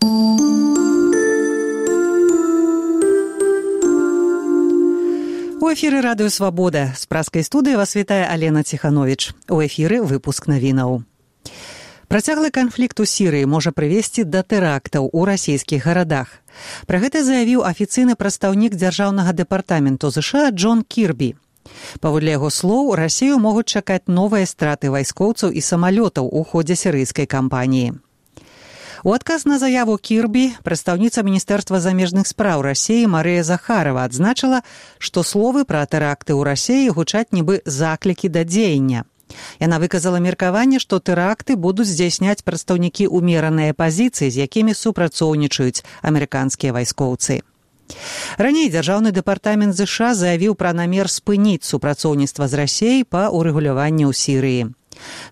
У эфіры радыё «Свабода». З праскай студыі вас вітае Алена Ціхановіч. У эфіры выпуск навінаў. Працяглы канфлікт у Сірыі можа прывесці да тэрактаў у расійскіх гарадах. Пра гэта заявіў афіцыйны прадстаўнік дзяржаўнага дэпартаменту ЗША Джон Кірбі. Паводле яго слоў, Расію могуць чакаць новыя страты вайскоўцаў і самалётаў у ходзе сірыйскай кампаніі. У адказ на заяву Кірбі прадстаўніца Міністэрства замежных спраў Расіі Марыя Захарова адзначыла, што словы пра тэракты ў Расіі гучаць нібы заклікі да дзеяння. Яна выказала меркаванне, што тэракты будуць здзяйсняць прадстаўнікі ўмеранай апазіцыі, з якімі супрацоўнічаюць амерыканскія вайскоўцы. Раней дзяржаўны дэпартамент ЗША заявіў пра намер спыніць супрацоўніцтва з Расіяй па ўрэгуляванні ў Сірыі.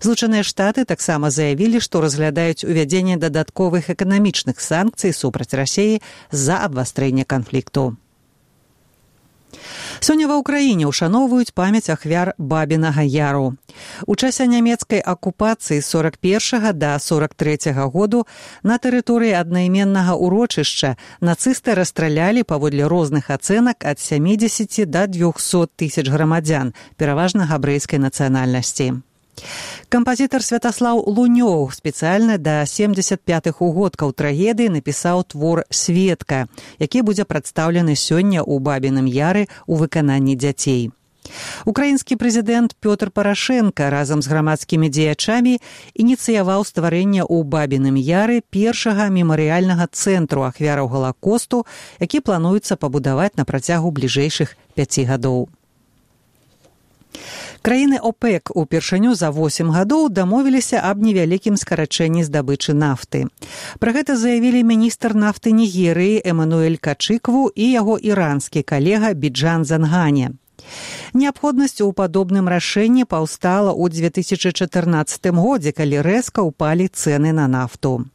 Злучаныя Штаты таксама заявілі, што разглядаюць увядзенне дадатковых эканамічных санкцый супраць Расіі з-за абвастрэння канфлікту. Сёння ва ўкраіне ўшаноўваюць памяць ахвяр Бабінага Яру. У часе нямецкай акупацыі з 41 да 43 году на тэрыторыі аднайменнага ўрочышча нацысты расстралялі паводле розных ацэнак ад 70 да 200 тысяч грамадзян, пераважна габрэйскай нацыянальнасці. Кампазітар Святаслаў Лунёў спецыяльна да 75-х угодкаў трагедыі напісаў твор «Светка», які будзе прадстаўлены сёння ў Бабіным Яры ў выкананні дзяцей. Украінскі прэзідэнт Пётр Парашенка разам з грамадскімі дзеячамі ініцыяваў стварэнне ў Бабіным Яры першага мемарыяльнага цэнтру ахвяраў Галакосту, які плануецца пабудаваць на працягу бліжэйшых 5 гадоў. Краіны ОПЕК упершыню за 8 гадоў дамовіліся аб невялікім скарачэнні здабычы нафты. Пра гэта заявілі міністр нафты Нігерыі Эмануэль Качыкву і яго іранскі калега Біджан Зангане. Неабходнасць у падобным рашэнні паўстала ў 2014 годзе, калі рэзка ўпалі цэны на нафту.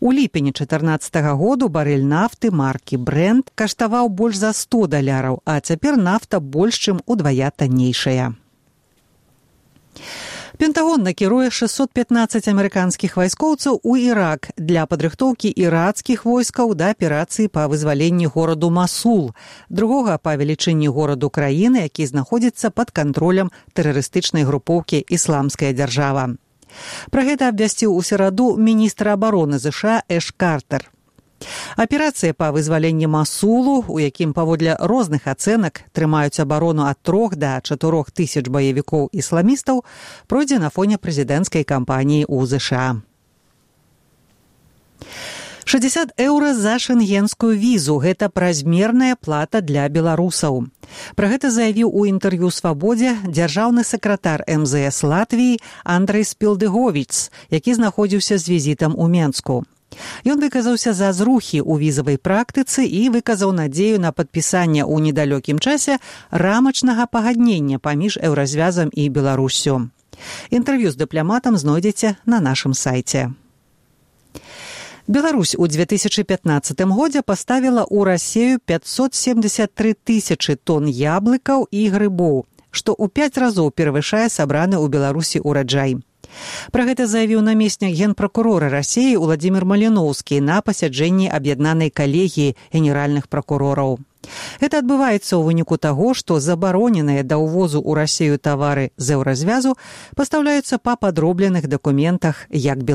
У ліпені 2014 году барэль нафты маркі Brent каштаваў больш за $100, а цяпер нафта больш чым удвая таннейшая. Пентагон накіруе 615 амерыканскіх вайскоўцаў у Ірак для падрыхтоўкі іракскіх войскаў да аперацыі па вызваленні гораду Масул, другога па велічыні гораду краіны, які знаходзіцца пад кантролем тэрарыстычнай групоўкі «Ісламская дзяржава». Пра гэта абвясціў у сераду міністр абароны ЗША Эш Картер. Аперацыя па вызваленні Масулу, у якім паводле розных ацэнак трымаюць абарону ад 3 да 4 тысяч баевікоў-ісламістаў, пройдзе на фоне прэзідэнцкай кампаніі ў ЗША. 60 еўра за шэнгенскую візу – гэта празмерная плата для беларусаў. Пра гэта заявіў у інтэрв'ю «Свабодзе» дзяржаўны сакратар МЗС Латвіі Андрэй Спілдыговіц, які знаходзіўся з візітам у Менску. Ён выказаўся за зрухі ў візавай практыцы і выказаў надзею на падпісанне ў недалёкім часе рамачнага пагаднення паміж Еўразвязам і Беларуссю. Інтэрв'ю з дыпламатам знойдзеце на нашым сайце. Беларусь у 2015 годзе паставіла ў Расію 573 тысячы тонн яблыкаў і грыбоў, што ў 5 разоў перавышае сабраны ў Беларусі ўраджай. Пра гэта заявіў намеснік генпракурора Расіі Уладзімір Маліноўскі на пасяджэнні аб'яднанай калегіі генеральных пракурораў. Гэта адбываецца ў выніку таго, што забароненыя да ўвозу ў Расію тавары з Еўразвязу пастаўляюцца па падробленых дакументах як беларускіх,